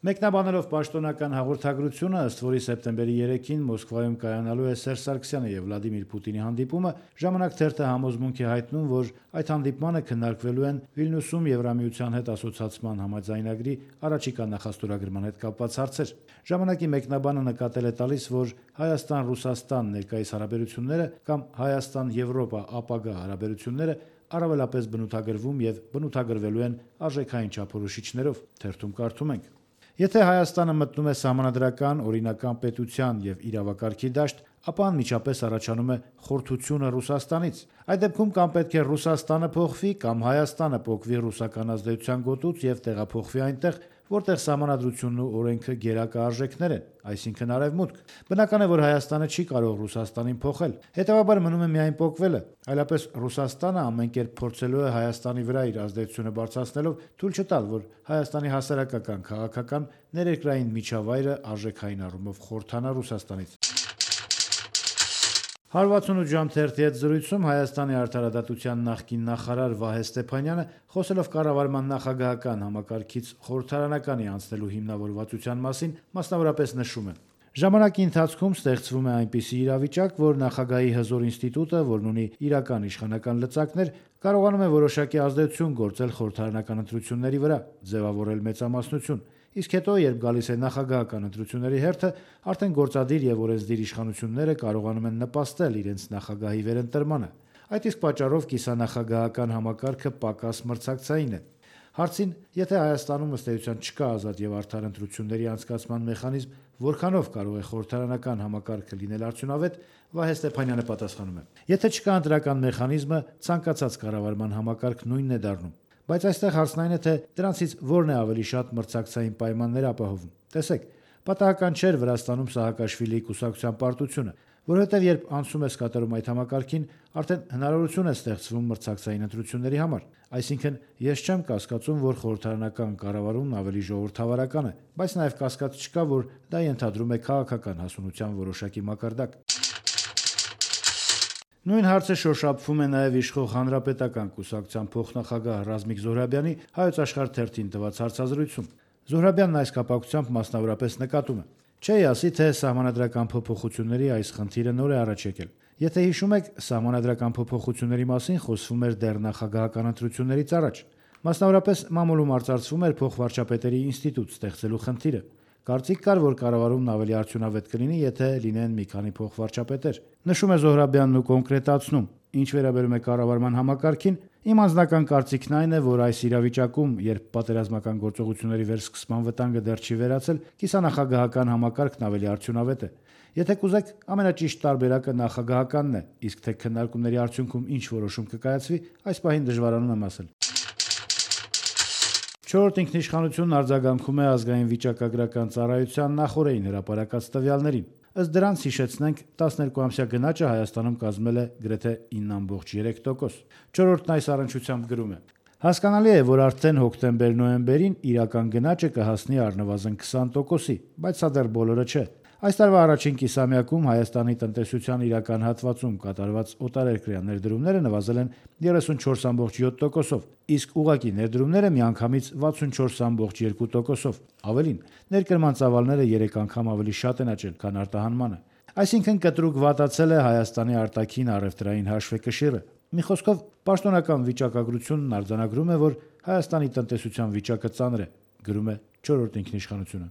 Մեկնաբանելով պաշտոնական հաղորդագրությունը, ըստ որի սեպտեմբերի 3-ին Մոսկվայում կայանալու է Սերժ Սարգսյանի եւ Վլադիմիր Պուտինի հանդիպումը, Ժամանակ թերթը համոզմունք է հայտնում, որ այդ հանդիպմանը քննարկվելու են Վիլնյուսում Եվրամիության հետ ասոցիացման համաձայնագրի առաջիկա նախաստորագրման հետ կապված հարցեր։ Ժամանակի մեկնաբանը նկատել է տալիս, որ Հայաստան-Ռուսաստան ներկայիս հարաբերությունները կամ Հայաստան-Եվրոպա ապագա հարաբերությունները առավելապես բնութագրվում եւ բնութագրվելու են արժեքային չափորոշիչներով, թերթում կարդում ենք. Եթե Հայաստանը մտնում է սահմանադրական, օրինական պետության եւ իրավակարգի դաշտ, ապա անմիջապես առաջանում է խորթությունը Ռուսաստանից։ Այդ դեպքում կամ պետք է Ռուսաստանը փոխվի, կամ Հայաստանը փոխվի ռուսական ազդեցության գոտուց եւ տեղափոխվի այնտեղ, որտեղ սահմանադրությունն ու օրենքը գերակա արժեքներ են, այսինքն արևմուտք։ Բնական է, որ Հայաստանը չի կարող Ռուսաստանին փոխել։ Հետևաբար մնում է միայն փոխվելը, այլապես Ռուսաստանը ամեն կերպ փորձելու է Հայաստանի վրա իր ազդեցությունը բարձրացնելով թույլ չտալ, որ Հայաստանի հասարակական, քաղաքական, ներերկրային միջավայրը արժեքային առումով խորթանա Ռուսաստանից։ 168 ժամ թերթի հետ զրույցում Հայաստանի արդարադատության նախկին նախարար Վահե Ստեփանյանը, խոսելով կառավարման նախագահական համակարգից խորհրդարանականի անցնելու հիմնավորվածության մասին, մասնավորապես նշում է. Ժամանակի ընթացքում ստեղծվում է այնպիսի իրավիճակ, որ նախագահի հզոր ինստիտուտը, որն ունի իրական իշխանական լծակներ, կարողանում է որոշակի ազդեցություն գործել խորհրդարանական ընտրությունների վրա, ձևավորել մեծամասնություն, իսկ հետո, երբ գալիս է նախագահական ընտրությունների հերթը, արդեն գործադիր եւ օրենսդիր իշխանությունները կարողանում են նպաստել իրենց նախագահի վերընտրմանը։ Այդ իսկ պատճառով կիսանախագահական համակարգը պակաս մրցակցային է։ Հարցին, եթե Հայաստանում ըստ էության չկա ազատ եւ արդար ընտրությունների անցկացման մեխանիզմ, որքանով կարող է խորհրդարանական համակարգը լինել արդյունավետ, Վահե Ստեփանյանը պատասխանում է. Եթե չկա ընտրական մեխանիզմը, ցանկացած կառավարման համակարգ նույնն է դառնում։ Բայց այստեղ հարցն այն է, թե դրանցից որն է ավելի շատ մրցակցային պայմաններ ապահովում։ Տեսեք, պատահական չէր Վրաստանում Սահակաշվիլիի կուսակցության պարտությունը, որովհետև երբ անցում ես կատարում այդ համակարգին, արդեն հնարավորություն է ստեղծվում մրցակցային ընտրությունների համար։ Այսինքն, ես չեմ կասկածում, որ խորհրդարանական կառավարումն ավելի ժողովրդավարական է, բայց նաև կասկած չկա, որ դա ենթադրում է քաղաքական հասունության որոշակի մակարդակ։ Նույն հարցը շոշափվում է նաև իշխող Հանրապետական կուսակցության փոխնախագահ Ռազմիկ Զոհրաբյանի Հայոց Աշխարհ թերթին տված հարցազրույցում։ Զոհրաբյանն այս կապակցությամբ մասնավորապես նկատում է. Չէի ասի, թե սահմանադրական փոփոխությունների այս խնդիրը նոր է առաջ եկել։ Եթե հիշում եք, սահմանադրական փոփոխությունների մասին խոսվում էր դեռ նախագահական ընտրություններից առաջ։ Մասնավորապես մամուլում արծարծվում էր փոխվարչապետերի ինստիտուտ ստեղծելու խնդիրը։ Կարծիք կար, որ կառավարումն ավելի արդյունավետ կլինի, եթե լինեն մի քանի փոխվարչապետեր։ Նշում է Զոհրաբյանն ու կոնկրետացնում. Ինչ վերաբերում է կառավարման համակարգին, իմ անձնական կարծիքն այն է, որ այս իրավիճակում, երբ պատերազմական գործողությունների վերսկսման վտանգը դեռ չի վերացել, կիսանախագահական համակարգն ավելի արդյունավետ է։ Եթե կուզեք, ամենաճիշտ տարբերակը նախագահականն է, իսկ թե քննարկումների արդյունքում ինչ որոշում կկայացվի, այս պահին դժվարանում եմ ասել։ Չորրորդ ինքնիշխանությունն արձագանքում է ազգային վիճակագրական ծառայության նախօրեին հրապարակած տվյալներին։ Ըստ դրանց, հիշեցնենք, 12-ամսյա գնաճը Հայաստանում կազմել է գրեթե 9.3%։ Չորրորդն այս առնչությամբ գրում է. Հասկանալի է, որ արդեն հոկտեմբեր-նոյեմբերին իրական գնաճը կհասնի առնվազն 20%-ի, բայց սա դեռ բոլորը չէ։ Այս տարվա առաջին կիսամյակում Հայաստանի տնտեսության իրական հատվածում կատարված օտարերկրյա ներդրումները նվազել են 34.7%-ով, իսկ ուղղակի ներդրումները միանգամից 64.2%-ով։ Ավելին, ներկրման ծավալները 3 անգամ ավելի շատ են աճել, քան արտահանմանը։ Այսինքն կտրուկ վատացել է Հայաստանի արտաքին առևտրային հաշվեկշիռը։ Մի խոսքով, պաշտոնական վիճակագրությունն արձանագրում է, որ Հայաստանի տնտեսության վիճակը ծանր է, գրում է Չորրորդ ինքնիշխանությունը։